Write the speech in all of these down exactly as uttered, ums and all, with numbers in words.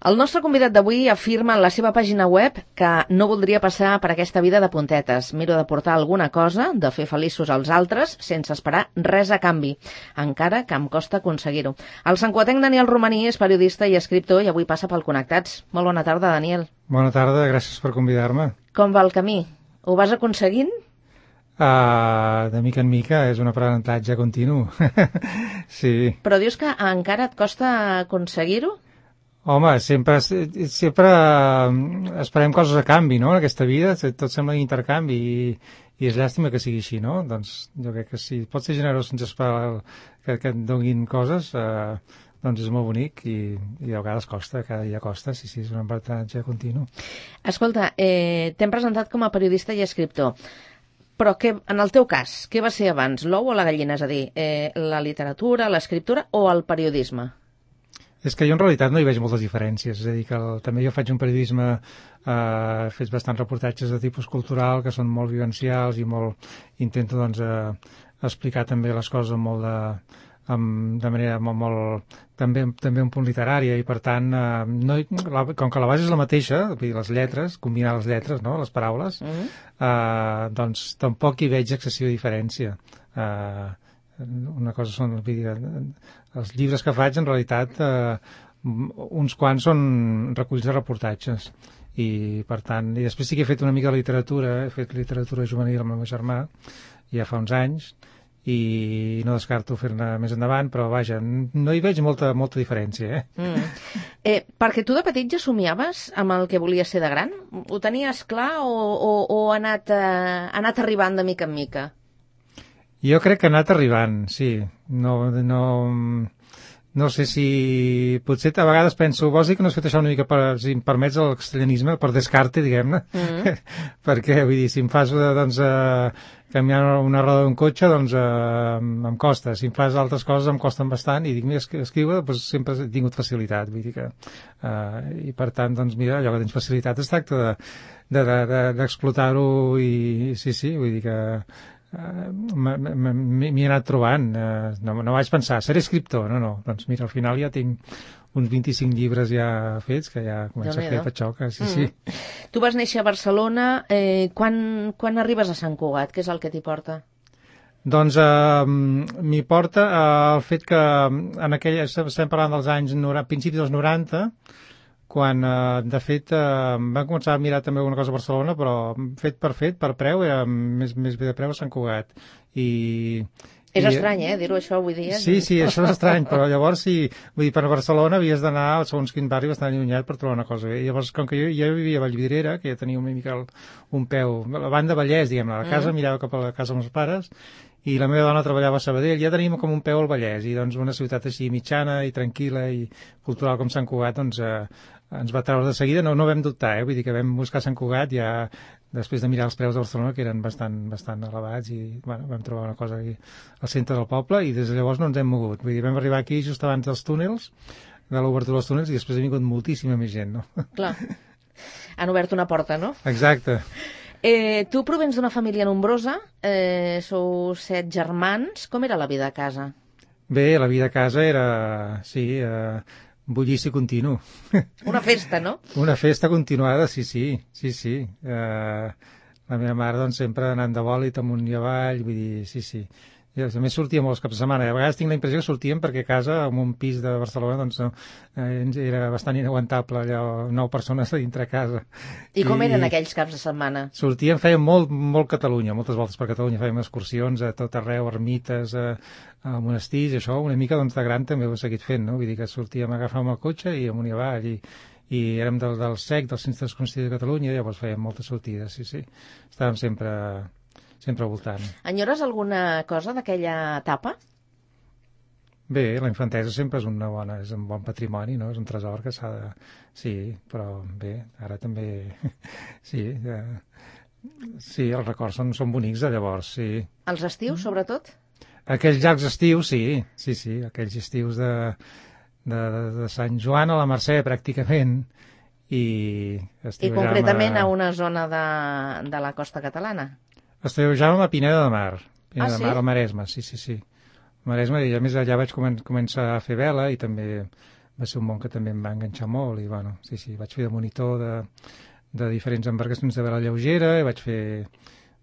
El nostre convidat d'avui afirma en la seva pàgina web que no voldria passar per aquesta vida de puntetes. Miro de portar alguna cosa, de fer feliços als altres, sense esperar res a canvi, encara que em costa aconseguir-ho. El santcugatenc Daniel Romaní és periodista i escriptor i avui passa pel Connectats. Molt bona tarda, Daniel. Bona tarda, gràcies per convidar-me. Com va el camí? Ho vas aconseguint? Uh, de mica en mica, és un aprenentatge continu. Sí. Però dius que encara et costa aconseguir-ho? Home, sempre, sempre esperem coses a canvi, no?, en aquesta vida, tot sembla intercanvi i, i és llàstima que sigui així, no? Doncs jo crec que si pots ser generós sense esperar que, que et donin coses, eh, doncs és molt bonic i, i a vegades costa, cada dia costa, sí, sí, és un aprenentatge continu. Escolta, eh, t'hem presentat com a periodista i escriptor, però que, en el teu cas, què va ser abans, l'ou o la gallina? És a dir, eh, la literatura, l'escriptura o el periodisme? És que jo en realitat no hi veig moltes diferències, és a dir, que el, també jo faig un periodisme, eh, faig bastants reportatges de tipus cultural que són molt vivencials i molt, intento doncs eh, explicar també les coses amb molt de, amb, de manera molt, molt també, també un punt literària i per tant, eh, no, la, com que la base és la mateixa, les lletres, combinar les lletres, no?, les paraules, mm-hmm. eh, doncs tampoc hi veig excessiva diferència. Eh, una cosa són els llibres que faig en realitat eh, uns quants són reculls de reportatges i per tant, i després sí que he fet una mica de literatura, he fet literatura juvenil amb el meu germà ja fa uns anys i no descarto fer-ne més endavant, però vaja, no hi veig molta, molta diferència, eh? Mm. eh perquè tu de petit ja somiaves amb el que volies ser de gran? Ho tenies clar o, o, o ha anat, eh, ha anat arribant de mica en mica? Jo crec que ha anat arribant, sí. No, no, no sé si... Potser a vegades penso, vols dir que no has fet això una mica per, si em permets el castellanisme, per descarte, diguem-ne? Mm. Perquè, vull dir, si em fas, doncs, eh, canviar una roda d'un cotxe, doncs eh, em costa. Si em fas altres coses em costen bastant i dic, mira, escriure, doncs sempre he tingut facilitat, vull dir que... Eh, I per tant, doncs, mira, allò que tens facilitat es tracta de, de, de, de, d'explotar-ho i sí, sí, vull dir que... Uh, m'hi he anat trobant, uh, no, no vaig pensar, seré escriptor, no, no, doncs mira, al final ja tinc uns vint-i-cinc llibres ja fets, que ja comença a fer patxoca, sí, mm. sí. Tu vas néixer a Barcelona, eh, quan, quan arribes a Sant Cugat? Què és el que t'hi porta? Doncs uh, m'hi porta uh, el fet que en aquella, estem parlant dels anys noranta, principis dels noranta, quan, eh, de fet, eh, vam començar a mirar també alguna cosa a Barcelona, però fet per fet, per preu, era més, més bé de preu a Sant Cugat. I, és i, estrany, eh, dir-ho això avui dia. Sí, sí, això és estrany, però llavors, sí, vull dir, per Barcelona havies d'anar al segons quin barri bastant allunyat per trobar una cosa bé. I llavors, com que jo, jo vivia a Vallvidrera, que ja tenia una mica el, un peu, la banda Vallès, diguem-ne, la casa, mm. mirava cap a la casa amb els pares, i la meva dona treballava a Sabadell, ja teníem com un peu al Vallès, i doncs una ciutat així mitjana i tranquil·la i cultural com Sant Cugat, doncs eh, ens va treure de seguida, no, no vam dubtar, eh? Vull dir que vam buscar Sant Cugat ja després de mirar els preus de Barcelona, que eren bastant, bastant elevats, i bueno, vam trobar una cosa aquí al centre del poble, i des de llavors no ens hem mogut. Vull dir, vam arribar aquí just abans dels túnels, de l'obertura dels túnels, i després ha vingut moltíssima més gent, no? Clar, han obert una porta, no? Exacte. Eh, tu provens d'una família nombrosa, eh, sou set germans. Com era la vida a casa? Bé, la vida a casa era, sí, eh, bullici continu. Una festa, no? Una festa continuada, sí, sí, sí, sí. Eh, la meva mare, doncs, sempre anant de bòlit amunt i avall, vull dir, sí, sí. I a més sortíem molts caps de setmana, i a vegades tinc la impressió que sortíem perquè a casa, en un pis de Barcelona, doncs eh, era bastant inaguantable, allò, nou persones a dintre casa. I com I, eren aquells caps de setmana? Sortíem, fèiem molt, molt Catalunya, moltes voltes per Catalunya, fèiem excursions a tot arreu, ermites, a, a monestirs, això, una mica doncs, de gran també ho he seguit fent, no? Vull dir que sortíem, agafàvem el cotxe i amunt i avall, i, i érem del, del S E C, del Centre d'Esconstits de Catalunya, i llavors fèiem moltes sortides, sí, sí. Estàvem sempre... sempre al voltant. Enyores alguna cosa d'aquella etapa? Bé, la infantesa sempre és una bona, és un bon patrimoni, no? És un tresor que s'ha de... Sí, però bé, ara també... Sí, ja... sí, els records són, són bonics de llavors, sí. Els estius, sobretot? Aquells llargs estius, sí, sí, sí, aquells estius de, de, de Sant Joan a la Mercè, pràcticament, i... I concretament a... a una zona de, de la costa catalana? Estiuejàvem a Pineda de Mar, Pineda ah, de sí? Mar, al Maresme, sí, sí, sí. Al Maresme, i a més allà vaig comen començar a fer vela i també va ser un món que també em va enganxar molt i, bueno, sí, sí, vaig fer de monitor de, de diferents embarcacions de vela lleugera i vaig fer,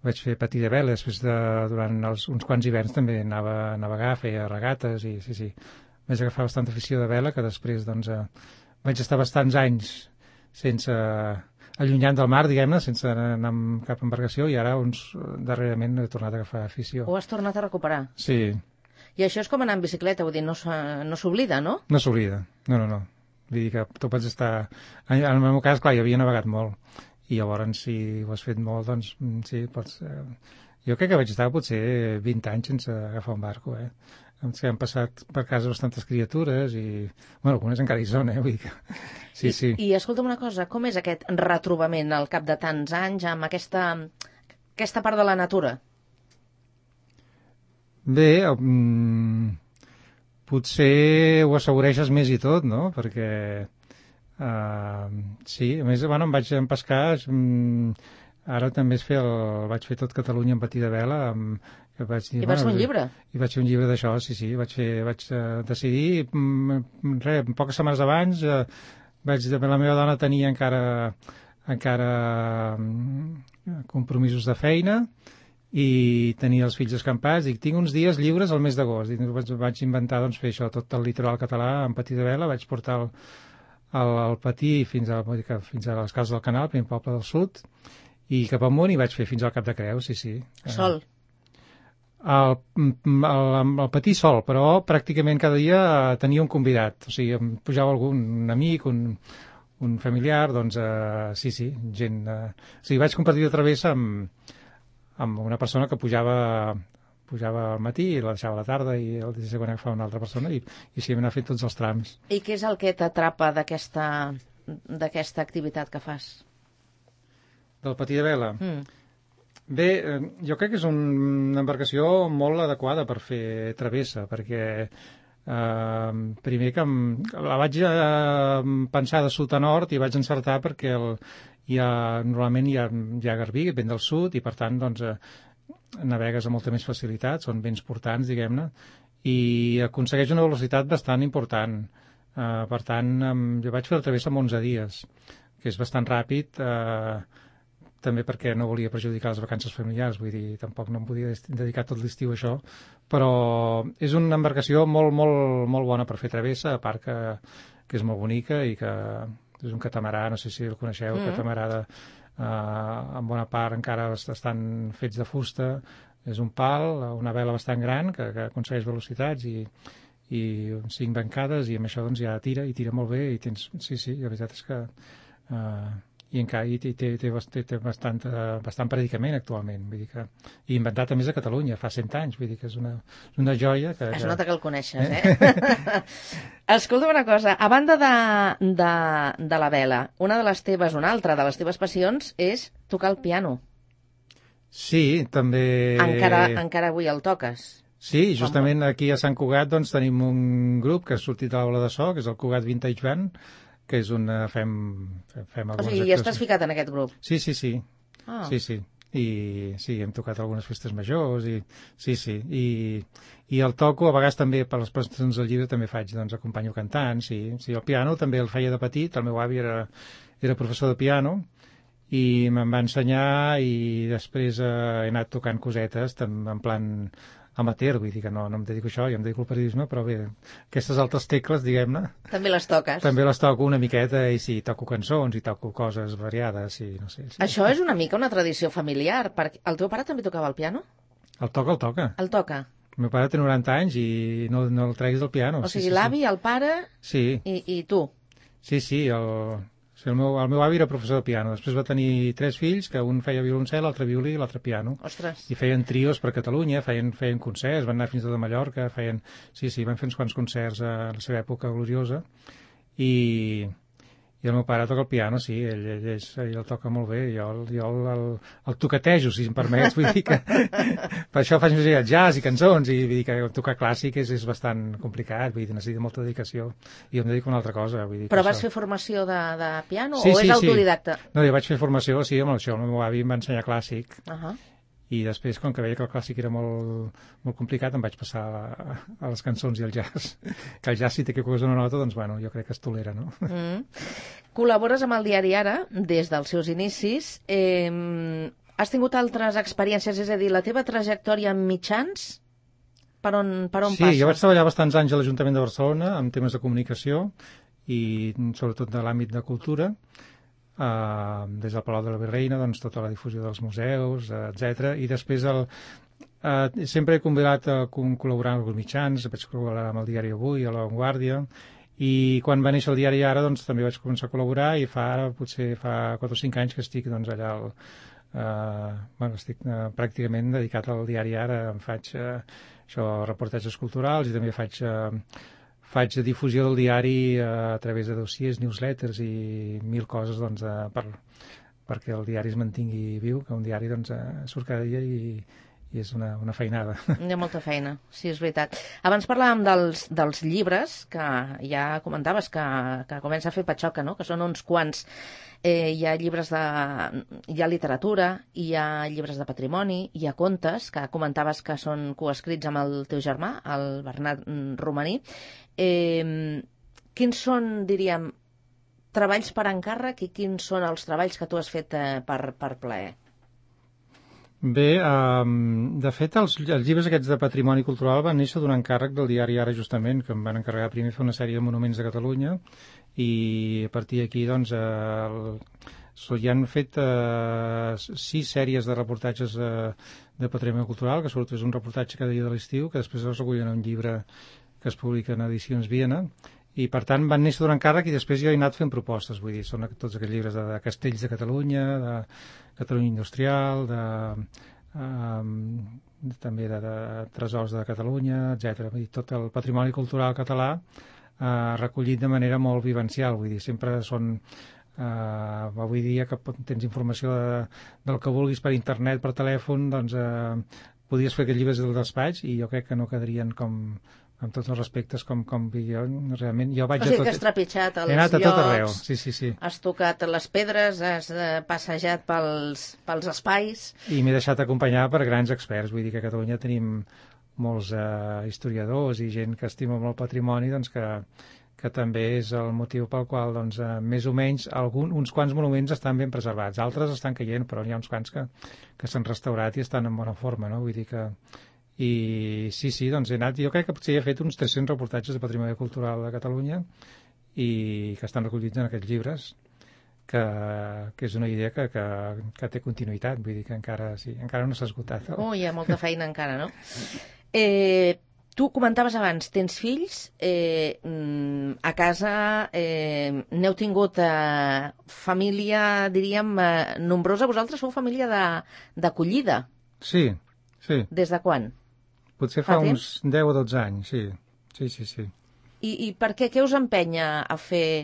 vaig fer patí de vela, després de, durant els, uns quants hiverns també anava a navegar, feia regates i, sí, sí, vaig agafar bastanta afició de vela que després, doncs, eh, vaig estar bastants anys sense, allunyant del mar, diguem-ne, sense anar amb cap embarcació i ara, uns, darrerament, he tornat a agafar afició. Ho has tornat a recuperar? Sí. I això és com anar en bicicleta, vull dir, no s'oblida, no? No s'oblida, no, no, no. Vull dir que tu pots estar... En el meu cas, clar, jo havia navegat molt, i llavors, si ho has fet molt, doncs, sí, pots... Jo crec que vaig estar potser vint anys sense agafar un barco, eh? Que han passat per casa bastantes criatures i... Bueno, algunes encara hi són, eh? Vull dir que... Sí, I, sí. I escolta'm una cosa, com és aquest retrobament al cap de tants anys amb aquesta, aquesta part de la natura? Bé, um, potser ho assaboreixes més i tot, no? Perquè, uh, sí, a més, bueno, em vaig empescar, um, ara també es fer el, vaig fer tot Catalunya en patí de vela. Um, que vaig dir, I vas bueno, fer un llibre? I vaig fer un llibre d'això, sí, sí, vaig, fer, vaig uh, decidir, um, res, poques setmanes abans, uh, vaig, la meva dona tenia encara, encara um, compromisos de feina, i tenia els fills escampats, dic, tinc uns dies lliures al mes d'agost, i vaig, vaig inventar doncs, fer això, tot el litoral català en patí de vela, vaig portar el, el, el patí fins a, fins a les cases del Canal, primer poble del sud, i cap amunt i vaig fer fins al Cap de Creus, sí, sí. Sol? El, el, el patí sol, però pràcticament cada dia tenia un convidat, o sigui, em pujava algun un amic, un, un familiar, doncs, uh, sí, sí, gent... Uh, o sigui, vaig compartir de travessa amb amb una persona que pujava pujava al matí i la deixava a la tarda i el dia següent agafava una altra persona i, i així hem anat fent tots els trams. I què és el que t'atrapa d'aquesta d'aquesta activitat que fas? Del patí de vela? Mm. Bé, jo crec que és un, una embarcació molt adequada per fer travessa, perquè eh, primer que em, la vaig eh, pensar de sud a nord i vaig encertar perquè el hi ha, normalment hi ha, hi ha garbí, que ven del sud, i per tant doncs, eh, navegues amb molta més facilitat, són vents portants, diguem-ne, i aconsegueix una velocitat bastant important. Eh, per tant, eh, jo vaig fer la travessa en onze dies, que és bastant ràpid, eh, també perquè no volia perjudicar les vacances familiars, vull dir, tampoc no em podia dedicar tot l'estiu a això, però és una embarcació molt, molt, molt bona per fer travessa, a part que, que és molt bonica i que és un catamarà, no sé si el coneixeu, mm. catamarà de, uh, en bona part encara estan fets de fusta, és un pal, una vela bastant gran que, que aconsegueix velocitats i, i cinc bancades i amb això doncs ja tira i tira molt bé i tens, sí, sí, la veritat és que uh, i encara i té, té, té, té bastant, uh, bastant predicament actualment, vull dir que i inventat a més a Catalunya fa cent anys, vull dir que és una, una joia que... Es nota que el coneixes, eh? eh? Escolta una cosa, a banda de, de, de la vela, una de les teves, una altra de les teves passions és tocar el piano. Sí, també... Encara, encara avui el toques. Sí, justament aquí a Sant Cugat doncs, tenim un grup que ha sortit a l'aula de so, que és el Cugat Vintage Band, que és una... fem, fem algunes... O sigui, ja estàs ficat en aquest grup? Sí, sí, sí. Ah. Sí, sí. I sí, hem tocat algunes festes majors i sí, sí. I, i el toco, a vegades també per les presentacions del llibre també faig, doncs acompanyo cantant, sí. Sí, el piano també el feia de petit, el meu avi era, era professor de piano i me'n va ensenyar i després eh, he anat tocant cosetes en plan amateur, vull dir que no, no em dedico a això, jo em dedico al periodisme, però bé, aquestes altres tecles, diguem-ne... També les toques. També les toco una miqueta, i sí, toco cançons, i toco coses variades, i no sé... Sí. Això és una mica una tradició familiar, perquè el teu pare també tocava el piano? El toca, el toca. El toca. El meu pare té noranta anys i no, no el treguis del piano. O sigui, sí, sí, l'avi, sí. el pare sí. i, i tu. Sí, sí, el... Sí, el, meu, el meu avi era professor de piano, després va tenir tres fills, que un feia violoncel, l'altre violí i l'altre piano. Ostres. I feien trios per Catalunya, feien, feien concerts, van anar fins a de Mallorca, feien... Sí, sí, van fer uns quants concerts a la seva època gloriosa. I, i el meu pare toca el piano, sí, ell, ell, ell, ell el toca molt bé, jo, jo el, el, el toquetejo, si em permets, vull dir que per això faig més jazz i cançons, i vull dir que tocar clàssic és, és bastant complicat, vull dir, necessita molta dedicació, i jo em dedico a una altra cosa. Vull dir Però vas això... fer formació de, de piano sí, o sí, és autodidacta? Sí. No, jo vaig fer formació, sí, amb això, el meu avi em va ensenyar clàssic, Uh -huh. i després, com que veia que el clàssic era molt, molt complicat, em vaig passar a, a les cançons i al jazz. Que el jazz, si té que posar una nota, doncs, bueno, jo crec que es tolera, no? Mm. Col·labores amb el diari Ara des dels seus inicis. Eh, has tingut altres experiències? És a dir, la teva trajectòria en mitjans, per on, per on sí, passa? Sí, jo vaig treballar bastants anys a l'Ajuntament de Barcelona amb temes de comunicació i sobretot de l'àmbit de cultura. Uh, des del Palau de la Virreina, doncs, tota la difusió dels museus, uh, etcètera. I després el, uh, sempre he convidat a col·laborar amb els mitjans, vaig col·laborar amb el diari Avui, a La Vanguardia, i quan va néixer el diari Ara, doncs, també vaig començar a col·laborar i fa ara, potser fa quatre o cinc anys que estic doncs, allà al, uh, bueno, estic uh, pràcticament dedicat al diari Ara. Em faig uh, això, reportatges culturals i també faig... Uh, faig difusió del diari a través de dossiers, newsletters i mil coses doncs, per, perquè el diari es mantingui viu, que un diari doncs, surt cada dia i, i és una, una feinada. Hi ha molta feina, sí, és veritat. Abans parlàvem dels, dels llibres, que ja comentaves que, que comença a fer patxoca, no? Que són uns quants. Eh, hi ha llibres de... hi ha literatura, hi ha llibres de patrimoni, hi ha contes, que comentaves que són coescrits amb el teu germà, el Bernat Romaní. Eh, quins són, diríem, treballs per encàrrec i quins són els treballs que tu has fet eh, per, per plaer? Bé, um, de fet, els, els llibres aquests de patrimoni cultural van néixer d'un encàrrec del diari Ara, justament, que em van encarregar primer fer una sèrie de monuments de Catalunya, i a partir d'aquí, doncs, el, hi han fet uh, sis sèries de reportatges uh, de patrimoni cultural, que sobretot és un reportatge cada dia de l'estiu, que després es recullen en un llibre que es publica en Edicions Viena, i per tant van néixer d'un encàrrec i després jo he anat fent propostes, vull dir, són tots aquests llibres de, de castells de Catalunya, de Catalunya Industrial, de, um, també de, de tresors de Catalunya, etcètera. Vull dir, tot el patrimoni cultural català uh, recollit de manera molt vivencial, vull dir, sempre són uh, avui dia que tens informació de, del que vulguis per internet, per telèfon, doncs uh, podries fer aquests llibres del despatx i jo crec que no quedarien com amb tots els respectes com, com jo realment jo vaig o sigui a tot... que has trepitjat els he anat a llocs, tot arreu. Sí, sí, sí. Has tocat les pedres, has eh, passejat pels, pels espais i m'he deixat acompanyar per grans experts, vull dir que a Catalunya tenim molts eh, historiadors i gent que estima molt el patrimoni, doncs que, que també és el motiu pel qual doncs, eh, més o menys algun, uns quants monuments estan ben preservats, altres estan caient, però n'hi ha uns quants que, que s'han restaurat i estan en bona forma, no? Vull dir que i sí, sí, doncs he anat, jo crec que potser he fet uns tres-cents reportatges de patrimoni cultural de Catalunya i que estan recollits en aquests llibres, que, que és una idea que, que, que té continuïtat, vull dir que encara, sí, encara no s'ha esgotat. Oh, hi ha molta feina encara, no? Eh, tu comentaves abans, tens fills, eh, a casa eh, n'heu tingut eh, família, diríem, eh, nombrosa. Vosaltres sou família d'acollida. Sí, sí. Des de quan? Potser fa, fa uns deu o dotze anys, sí. Sí, sí, sí. I, i per què? Què us empenya a fer,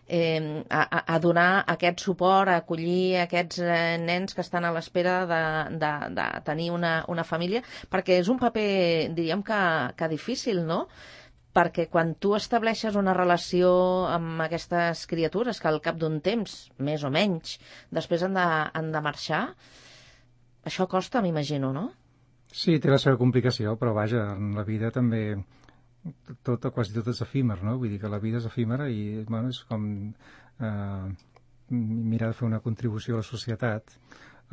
eh, a, a donar aquest suport, a acollir aquests eh, nens que estan a l'espera de, de, de tenir una, una família? Perquè és un paper, diríem que, que difícil, no? Perquè quan tu estableixes una relació amb aquestes criatures que al cap d'un temps, més o menys, després han de, han de marxar, això costa, m'imagino, no? Sí, té la seva complicació, però vaja, en la vida també tot, quasi tot és efímer, no? Vull dir que la vida és efímera i, bueno, és com eh, mirar de fer una contribució a la societat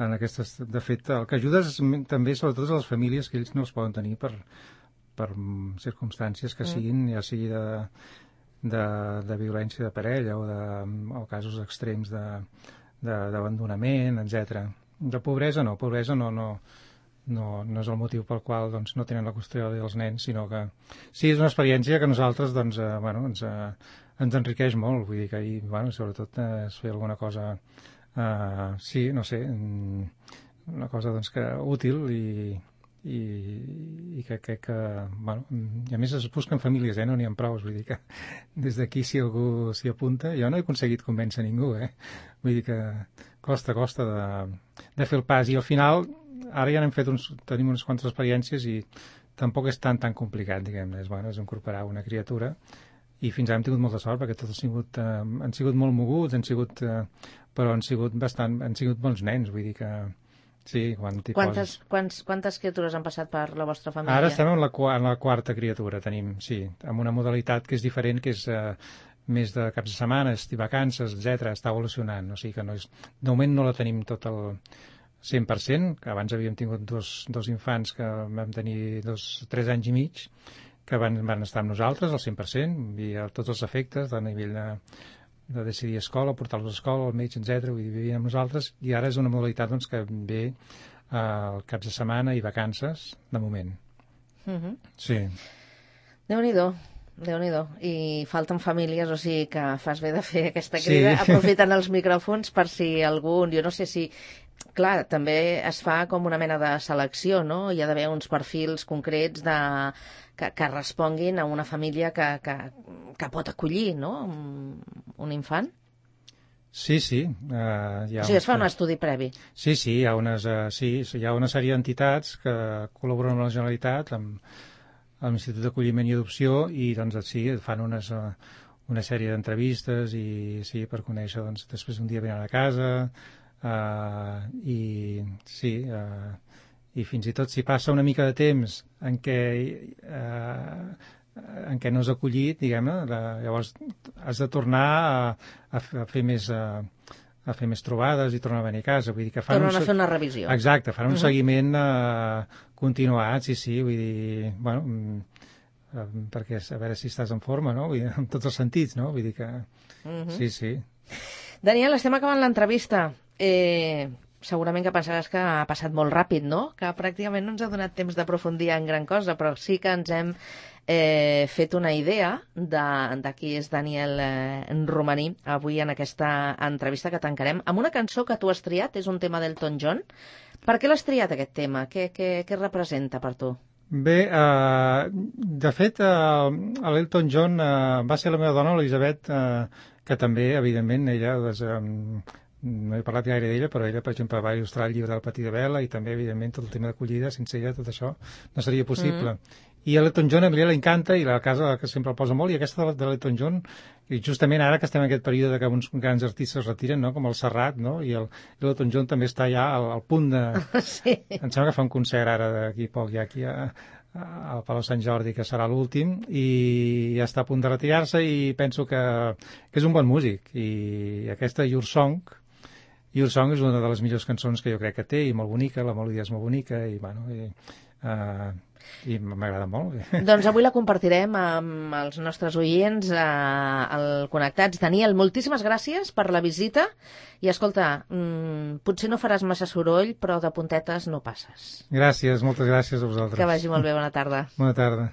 en aquestes... De fet, el que ajuda és, també, sobretot, a les famílies que ells no els poden tenir per, per circumstàncies que siguin, ja sigui de, de, de violència de parella o, de, o casos extrems d'abandonament, etcètera. De pobresa no, pobresa no... no No, no és el motiu pel qual doncs, no tenen la custòdia dels nens, sinó que sí, és una experiència que a nosaltres doncs, eh, bueno, ens, eh, ens enriqueix molt, vull dir que ahir, bueno, sobretot eh, es fer alguna cosa eh, sí, no sé una cosa doncs, que útil i, i, i que crec que bueno, i a més es busquen famílies, eh, no n'hi ha prou, vull dir que des d'aquí si algú s'hi apunta, jo no he aconseguit convèncer ningú, eh? Vull dir que costa, costa de, de fer el pas i al final ara ja n'hem fet uns, tenim unes quantes experiències i tampoc és tan tan complicat, diguem-ne, és, bueno, és incorporar una criatura i fins ara hem tingut molta sort perquè tots han sigut, eh, han sigut molt moguts, han sigut, eh, però han sigut bastant, han sigut bons nens, vull dir que Sí, quan t'hi Quantes, poses. quants, quantes criatures han passat per la vostra família? Ara estem en la, en la quarta criatura, tenim, sí, amb una modalitat que és diferent, que és eh, més de caps de setmana, i vacances, etcètera. Està evolucionant, o sigui que no és... De moment no la tenim tot el cent per cent, que abans havíem tingut dos, dos infants que vam tenir dos, tres anys i mig, que van, van estar amb nosaltres al cent per cent, i a tots els efectes, a nivell de, de decidir escola, portar-los a escola, al metge, etcètera. Vull dir, vivien amb nosaltres, i ara és una modalitat doncs, que ve al eh, caps de setmana i vacances, de moment. Uh-huh. Sí. Déu-n'hi-do, Déu-n'hi-do. I falten famílies, o sigui que fas bé de fer aquesta crida, sí. Aprofitant els micròfons per si algun... Jo no sé si... Clar, també es fa com una mena de selecció, no? Hi ha d'haver uns perfils concrets de... que, que responguin a una família que, que, que pot acollir, no?, un, un infant. Sí, sí. Uh, hi ha o sigui, es fa uns... un estudi previ. Sí, sí, hi ha, unes, uh, sí, hi ha una sèrie d'entitats que col·laboren amb la Generalitat, amb, amb l'Institut d'Acolliment i Adopció, i doncs sí, fan unes, uh, una sèrie d'entrevistes i sí, per conèixer, doncs després un dia venen a casa, uh, i sí, uh, i fins i tot si passa una mica de temps en què uh, en què no has acollit, diguem-ne, llavors has de tornar a, a fer més a, a fer més trobades i tornar a venir a casa. Vull dir que fan Tornen un... a fer una revisió. Exacte, fan un uh-huh. seguiment eh, continuat, sí, sí, vull dir, bueno, eh, perquè a veure si estàs en forma, no? Vull dir, en tots els sentits, no? Vull dir que... Uh-huh. Sí, sí. Daniel, estem acabant l'entrevista. Eh... Segurament que pensaràs que ha passat molt ràpid, no? Que pràcticament no ens ha donat temps d'aprofundir en gran cosa, però sí que ens hem eh, fet una idea de, de qui és Daniel eh, Romaní avui en aquesta entrevista que tancarem amb una cançó que tu has triat, és un tema d'Elton John. Per què l'has triat, aquest tema? Què, què, què representa per tu? Bé, eh, de fet, eh, l'Elton John eh, va ser la meva dona, l'Elisabet, eh, que també, evidentment, ella... Doncs, eh, no he parlat gaire d'ella, però ella, per exemple, va il·lustrar el llibre del Patí de Vela i també, evidentment, tot el tema d'acollida, sense ella tot això no seria possible. Mm. I a l'Elton John a mi l'encanta i la casa que sempre el posa molt, i aquesta de l'Elton John, i justament ara que estem en aquest període que uns grans artistes retiren, no?, com el Serrat, no?, i l'Elton John també està ja al, al punt de... Sí. Em sembla que fa un concert ara d'aquí poc, ja aquí a, al Palau Sant Jordi, que serà l'últim, i ja està a punt de retirar-se, i penso que, que és un bon músic. I aquesta Your Song, Your Song és una de les millors cançons que jo crec que té, i molt bonica, la melodia és molt bonica, i, bueno, i, uh, i m'agrada molt. Doncs avui la compartirem amb els nostres oients uh, al Connectats. Daniel, moltíssimes gràcies per la visita, i escolta, mm, potser no faràs massa soroll, però de puntetes no passes. Gràcies, moltes gràcies a vosaltres. Que vagi molt bé, bona tarda. Bona tarda.